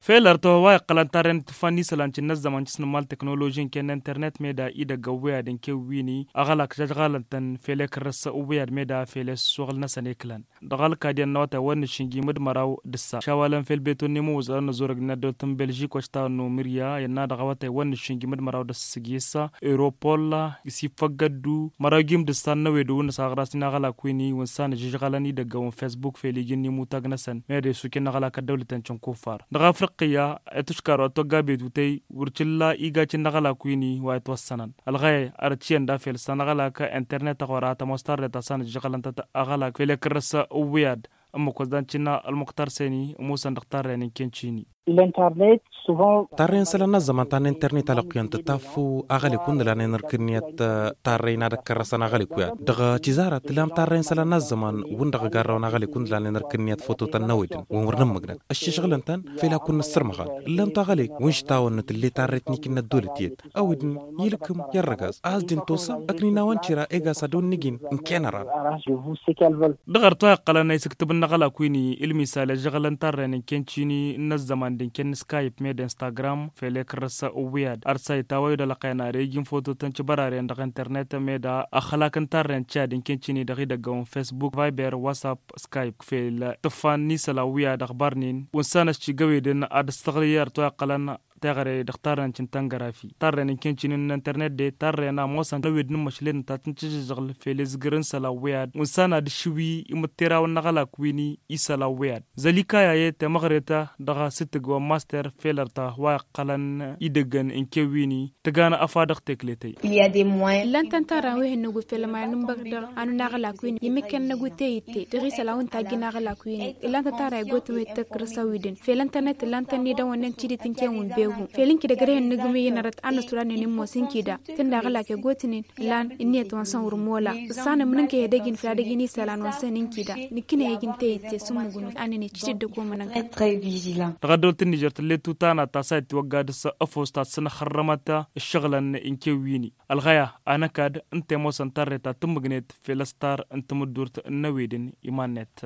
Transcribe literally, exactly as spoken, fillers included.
Fel ărtăwăn wa iqqălăn tarren tǝfan n-isălan cǝnnă ăzzăman cǝsnǝmmal teknoloži n-ken n-internet meda idăgg ăwwiyad n-ken wini aɣălak žăžɣalăn-tăn fel ekărrăs ăwwiyad meda fel ăssuɣǝl-năsăn eklăn. Dăɣ-alkad i-ănnăwătay wăr nǝššǝnjim d-măraw d-ǝssa šawalăn fel beton n-imǝwwǝẓărăn n-ozorăg n-ăddăwăt n-belžik wa s-tawănnu mirya i-ănna dăɣ-awătay wăr nǝššǝnjim d-măraw d-ǝssa s-gisa europol. Isifăggăddu măraw jim d-ǝssa n-năwed wǝnnǝs aɣras n-aɣălak wini wǝnsan ǝžžǝžɣalăn idăggăwăn fesbuk fel ijǝnni mutag-năsăn meda isukin n-aɣălak ăddăwlăten cǝnkuffar dăɣ-afriqqiya. Ătuškar wa t-wăgga betutăy wăr t-illa igacǝn n-aɣălak wini wa itwăssănăn ălɣăyăy arăt šiyăn da fel s-anăɣălak internet a ɣur-a tămoos tarret a-s anăžžăɣălăn-tăt aɣălak fel i-kărrăs ǝwwǝyad. Ǝmmǝk wăzdan cǝnna ălmuqtar seni ămoosăn dăɣ-tarren n-ken cini. Tarren isălan n-ăzzăman ta n-internet alăqquyăn tǝtaf aɣălek wǝnnǝlan enăr kǝnniyăt. Tarrăy n-ad-ăkkărrăsăn aɣălek wi ad-dăɣ-tizarat tǝllam tarrăy n-isălan n-ăzzăman wǝnn dăɣ-igarrăwăn aɣălek wǝnnǝlan enăr kǝnniyăt foto ta n-năwedăn wăr nǝmmǝgnăt ăššăšɣǝlăn-tăn. Fel ad-kun-nǝssărmăɣal ǝllan-tu aɣălek wǝnš tawănnăt ǝlle tarrăy tǝnnikǝn n-ăddolăt iyyăt. Ăwidǝn ilkǝm i-ărrăgaz a-s dd-intosăm ǝkninawăn tira egasa d-onnǝgin n-kenăran. Dăɣ-ărtu a iqqălăn a isǝktǝb n-aɣălak wini ǝlmisal i-ăžžăɣălăn tarren n-ken cini n-ăzzăman d-inken n-skype med instagram fel i-kărrăs ǝwwǝyad ărsay tawăyyu d-ălăqqăyăn ar ijǝn fototăn cǝbăraren dăɣ-internet med ăxlak n-tarren cad n-ken cini dăɣ-idăggăwăn facebook viber whatsapp skype fel tǝffan n-isălan wi ad-ăxbar-nin wǝnsan ăššigăwedăn ad-ăstăɣlǝy ărtu a iqqălăn teɣăre dăɣ-tarren cǝntăngărafi tarren n-ken cini n-internet de tarren a ămoosăn tăwed n-ǝmmăšlen ta tǝncǝžžăžăɣl fel izgǝr n-isălan wi ad-wǝnsan ad-ǝššǝwi imǝtteraw n-aɣălak wini isălan wi ad-zălikaya i-temăɣret dăɣ-asǝttǝg wa n-master fel ărta wa iqqălăn idăggăn n-ken wini tǝgană ăfa dăɣ-tekletăy. Ǝllan-tăn tarra wi hănnăgu fel ămar n-ǝnbăk dăɣ-anun aɣălak wini imǝkkăn năgu teyǝtte dăɣ-isălan wi n-tajjǝn aɣălak wini. Ǝllan-tăn tarra igoten wi tăkkărăs a wi-dăn fel ǝntănet ǝllan-tăn n-idăwănnen tidǝt n-ken wi n-behu fel ǝnki dăgg-rehăn n-agǝmǝy-in ărăt a n-ăswăr ad-nǝnǝmmos ǝnki da tǝnda aɣălak igoten-in ǝllan ǝnniyăt wa n-săn wăr mola. Ǝssanăm n-ǝnkăy edăgg-in făll-ad-ăj n-isălan wa n-săn ǝnki da nǝkkǝnăy ăj n-teyǝtte s-ǝmmǝgnu a nǝnecǝt dd-ăkomănăn. Dăɣ-ăddăwăl tǝnnižăr tǝllet tutanat ta s-a itwăgga dăɣ-s ăfos ta t-sănăxărrămăt ǝššăɣǝlăn n-ken wini ălɣăya anăkad n-temosăn tarret ta tǝmmǝgnet fel ăstar n-tamǝddurt n-năwedăn iman-net.